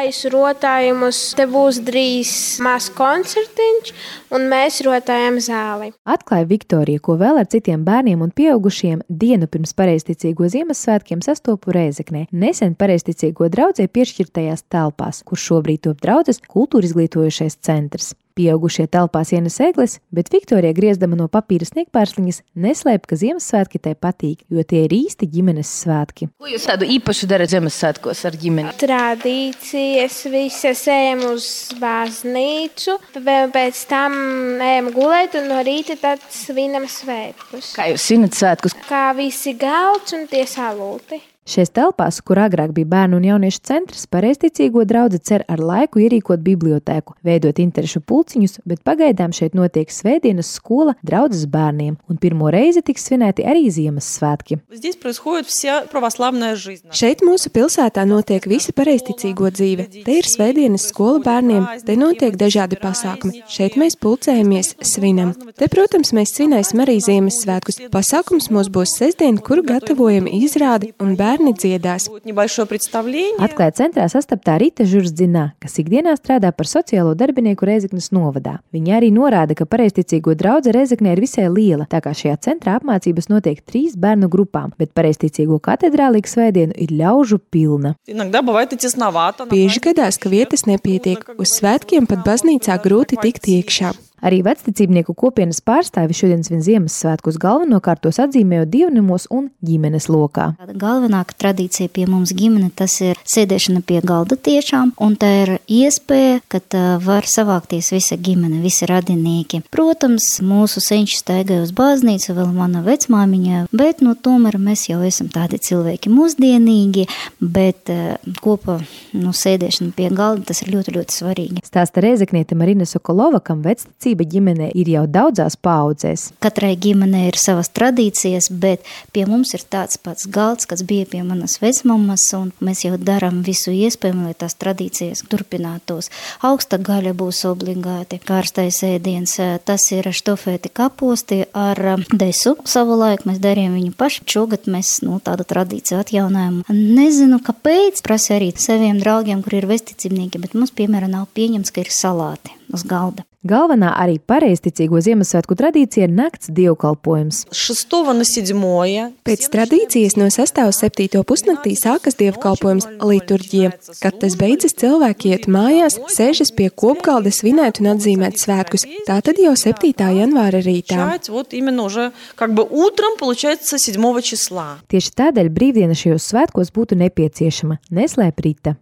Taisu rotājumus, te būs drīz maz koncertiņš, un mēs rotājam zāli. Atklāja Viktorija, ko vēl ar citiem bērniem un pieaugušiem dienu pirms pareizticīgo Ziemassvētkiem sastopu Rēzeknē, nesen pareizticīgo draudzē piešķirtajās telpās, kur šobrīd top draudzes kultūra izglītojošais centrs. Pieaugušie telpās ienes egles, bet Viktorija, griezdama no papīra sniegpārsliņas, neslēp, ka Ziemassvētki tai patīk, jo tie ir īsti ģimenes svētki. Ko jūs tādu īpašu darat Ziemassvētkos ar ģimeni? Tradīcijas visas ejam uz baznīcu, pēc tam ejam gulēt un no rīta tad svinam svētkus. Kā jūs svinat svētkus? Kā visi galds un tie salūti. Šajās telpās, kur agrāk bija bērnu un jauniešu centrs, pareizticīgo draudze cer ar laiku ierīkot bibliotēku, veidot interešu pulciņus, bet pagaidām šeit notiek svētdienas skola draudzes bērniem, un pirmo reizi tiks svinēti arī Ziemassvētki. Šeit mūsu pilsētā notiek visa pareizticīgo dzīve. Te ir svētdienas skola bērniem, te notiek dažādi pasākumi. Šeit mēs pulcējamies, svinam. Te, protams, mēs svinēsim arī Ziemassvētkus. Pasākums mums būs sestdien, kuru gatavojam izrādi un bērni dziedās. Atklāja centrā sastaptā Rita Žurzdzinā, kas ikdienā strādā par sociālo darbinieku Rēzeknes novadā. Viņa arī norāda, ka pareizticīgo draudze Rēzeknē ir visai liela, tā kā šajā centrā apmācības notiek 3 bērnu grupām, bet pareizticīgo katedrālīgu svētdienu ir ļaužu pilna. Bieži gadās, ka vietas nepietiek. Uz svētkiem pat baznīcā grūti tikt iekšā. Arī vecticībnieku kopienas pārstāvi šodien svin Ziemassvētkus galvenokārt tos atzīmējot dievnamos un ģimenes lokā. Galvenākā tradīcija pie mums ģimene tas ir sēdēšana pie galda tiešām, un tā ir iespēja, kad var savākties visa ģimene, visi radinieki. Protams, mūsu senči staigāja uz baznīcu, vēl mana vecmāmiņa, bet tomēr mēs jau esam tādi cilvēki mūsdienīgi, bet kopā sēdēšana pie galda tas ir ļoti, ļoti svarīgi. Stāsta Rēzekniete Marina Sokolova, kam vecticība ģimenē ir jau daudzās paaudzēs. Katrai ģimenei ir savas tradīcijas, bet pie mums ir tāds pats galds, kas bija pie manas vecmammas, un mēs jau darām visu iespējamo, lai tās tradīcijas turpinātos. Augsta gaļa būs obligāti, kārstais ēdiens, tas ir štofēti kaposti ar desu. Savulaik mēs darījām viņu paši, šogad mēs tādu tradīciju atjaunājam. Nezinu, kāpēc, prasa arī saviem draugiem, kur ir vesticībnieki, bet mums, piemēram, nav pieņemts, ka ir salāti uz galda. Galvenā arī pareizticīgo Ziemassvētku tradīcija ir nakts dievkalpojums. Pēc tradīcijas no 6. uz 7. pusnaktī sākas dievkalpojums liturģija. Kad tas beidzas, cilvēki iet mājās, sēžas pie kopgalda svinēt un atzīmēt svētkus. Tātad jau 7. janvāra rītā. Tieši tādēļ brīvdiena šajos svētkos būtu nepieciešama, neslēp Rita.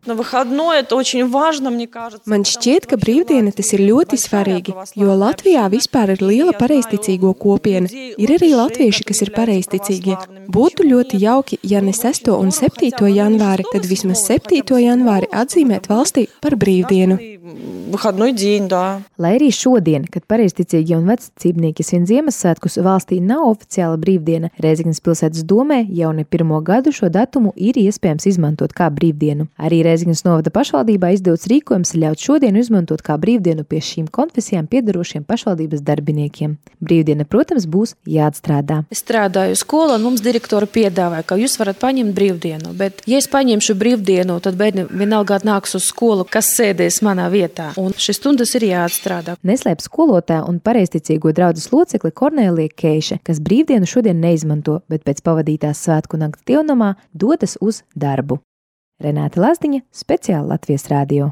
Man šķiet, ka brīvdiena tas ir ļoti svarīgi. Jo Latvijā vispār ir liela pareizticīgo kopiena. Ir arī latvieši, kas ir pareizticīgie. Būtu ļoti jauki, ja ne 6. un 7. janvāri, tad vismaz 7. janvāri atzīmēt valstī par brīvdienu. Lai arī šodien, kad pareizticīgie un vecticībnieki svin Ziemassvētkus, valstī nav oficiāla brīvdiena, Rēzeknes pilsētas domē jau ne pirmo gadu šo datumu ir iespējams izmantot kā brīvdienu. Arī Rēzeknes novada pašvaldībā izdots rīkojums ļaut šodienu izmantot kā brīvdienu pie šīm konfesijām piedarošiem pašvaldības darbiniekiem. Brīvdiena, protams, būs jāatstrādā. Es strādāju skolā, un mums direktori piedāvāja, ka jūs varat paņemt brīvdienu, bet ja es paņemšu brīvdienu, tad bērni vienalga nāks uz skolu, kas sēdēs manā vietā. Un šis stundas ir jāatstrādā. Neslēp skolotāja un pareizticīgo draudzes locekli Kornēlija Keiša, kas brīvdienu šodien neizmanto, bet pēc pavadītās svētku nakts dievnamā dodas uz darbu. Renāte Lazdiņa, speciāli Latvijas radio.